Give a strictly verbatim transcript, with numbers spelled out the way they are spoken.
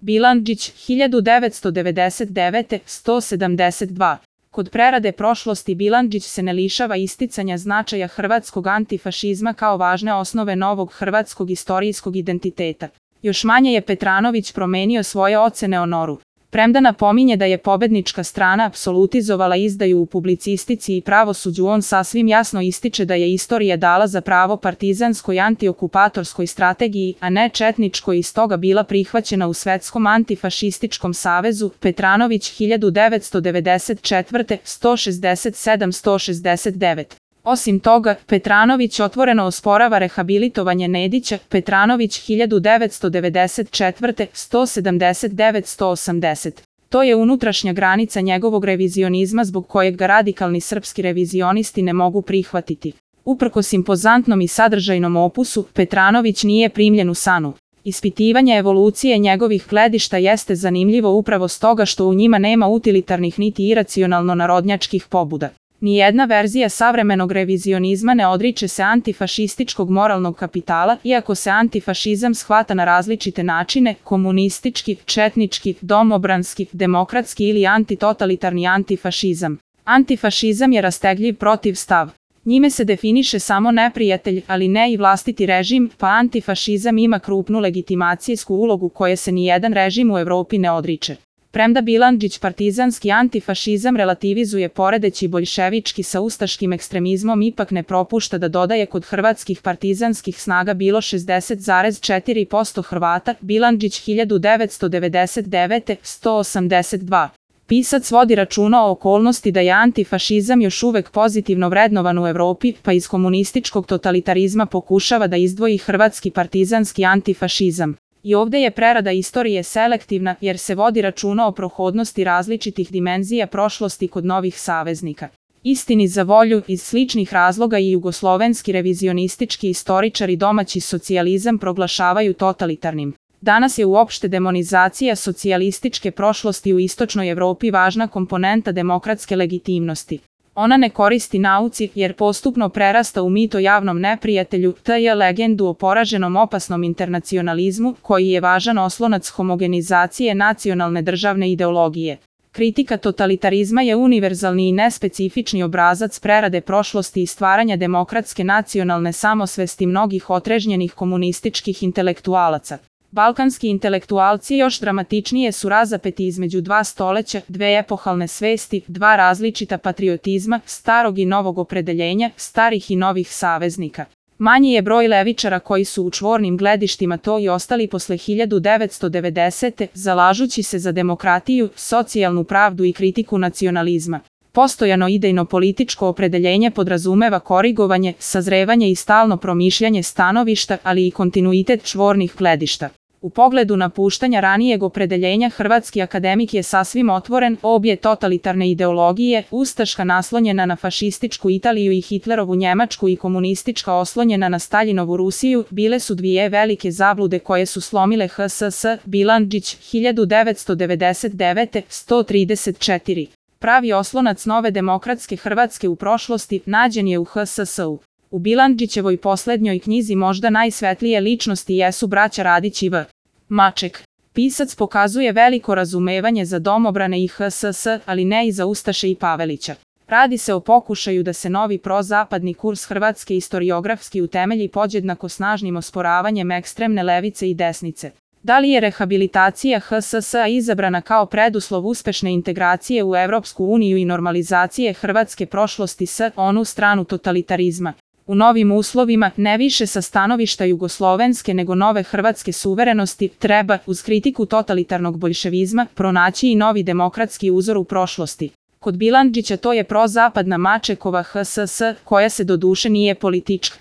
Bilandžić, hiljadu devetsto devedeset devete. sto sedamdeset dva. Kod prerade prošlosti Bilandžić se ne lišava isticanja značaja hrvatskog antifašizma kao važne osnove novog hrvatskog istorijskog identiteta. Još manje je Petranović promenio svoje ocene o Noru. Premda napominje da je pobednička strana apsolutizovala izdaju u publicistici i pravosuđu, on sasvim jasno ističe da je istorija dala za pravo partizanskoj antiokupatorskoj strategiji, a ne četničkoj, i stoga bila prihvaćena u Svetskom antifašističkom savezu. Petranović, hiljadu devetsto devedeset četvrte. sto šezdeset sedam do sto šezdeset devet. Osim toga, Petranović otvoreno osporava rehabilitovanje Nedića. Petranović, hiljadu devetsto devedeset četvrte. sto sedamdeset devet do sto osamdeset. To je unutrašnja granica njegovog revizionizma zbog kojeg ga radikalni srpski revizionisti ne mogu prihvatiti. Uprkos impozantnom i sadržajnom opusu, Petranović nije primljen u SANU. Ispitivanje evolucije njegovih gledišta jeste zanimljivo upravo stoga što u njima nema utilitarnih niti iracionalno narodnjačkih pobuda. Nijedna verzija savremenog revizionizma ne odriče se antifašističkog moralnog kapitala, iako se antifašizam shvata na različite načine: komunistički, četnički, domobranski, demokratski ili antitotalitarni antifašizam. Antifašizam je rastegljiv protivstav. Njime se definiše samo neprijatelj, ali ne i vlastiti režim, pa antifašizam ima krupnu legitimacijsku ulogu koje se nijedan režim u Evropi ne odriče. Premda Bilandžić partizanski antifašizam relativizuje poredeći boljševički sa ustaškim ekstremizmom, ipak ne propušta da dodaje kod hrvatskih partizanskih snaga bilo šezdeset zarez četiri posto Hrvata. Bilandžić, hiljadu devetsto devedeset devete. sto osamdeset dva. Pisac vodi računa o okolnosti da je antifašizam još uvek pozitivno vrednovan u Evropi, pa iz komunističkog totalitarizma pokušava da izdvoji hrvatski partizanski antifašizam. I ovde je prerada istorije selektivna, jer se vodi računa o prohodnosti različitih dimenzija prošlosti kod novih saveznika. Istini za volju, iz sličnih razloga i jugoslovenski revizionistički istoričari domaći socijalizam proglašavaju totalitarnim. Danas je uopšte demonizacija socijalističke prošlosti u istočnoj Evropi važna komponenta demokratske legitimnosti. Ona ne koristi nauci, jer postupno prerasta u mit o javnom neprijatelju, tj. legendu o poraženom opasnom internacionalizmu, koji je važan oslonac homogenizacije nacionalne državne ideologije. Kritika totalitarizma je univerzalni i nespecifični obrazac prerade prošlosti i stvaranja demokratske nacionalne samosvesti mnogih otrežnjenih komunističkih intelektualaca. Balkanski intelektualci još dramatičnije su razapeti između dva stoleća, dve epohalne svesti, dva različita patriotizma, starog i novog opredeljenja, starih i novih saveznika. Manji je broj levičara koji su u čvornim gledištima to i ostali posle hiljadu devetsto devedesete. zalažući se za demokratiju, socijalnu pravdu i kritiku nacionalizma. Postojano idejno političko opredeljenje podrazumeva korigovanje, sazrevanje i stalno promišljanje stanovišta, ali i kontinuitet čvornih gledišta. U pogledu napuštanja ranijeg opredeljenja hrvatski akademik je sasvim otvoren. Obje totalitarne ideologije, ustaška naslonjena na fašističku Italiju i Hitlerovu Njemačku i komunistička oslonjena na Staljinovu Rusiju, bile su dvije velike zablude koje su slomile H S S. Bilandžić, hiljadu devetsto devedeset devete. sto trideset četiri. Pravi oslonac nove demokratske Hrvatske u prošlosti nađen je u H S S-u. U Bilandžićevoj poslednjoj knjizi možda najsvetlije ličnosti jesu braća Radić i V. Maček. Pisac pokazuje veliko razumevanje za domobrane i H S S, ali ne i za ustaše i Pavelića. Radi se o pokušaju da se novi prozapadni kurs Hrvatske istoriografski utemelji podjednako snažnim osporavanjem ekstremne levice i desnice. Da li je rehabilitacija H S S-a izabrana kao preduslov uspešne integracije u Evropsku uniju i normalizacije hrvatske prošlosti s onu stranu totalitarizma? U novim uslovima, ne više sa stanovišta jugoslovenske nego nove hrvatske suverenosti, treba, uz kritiku totalitarnog boljševizma, pronaći i novi demokratski uzor u prošlosti. Kod Bilandžića to je prozapadna Mačekova H S S, koja se doduše nije politička.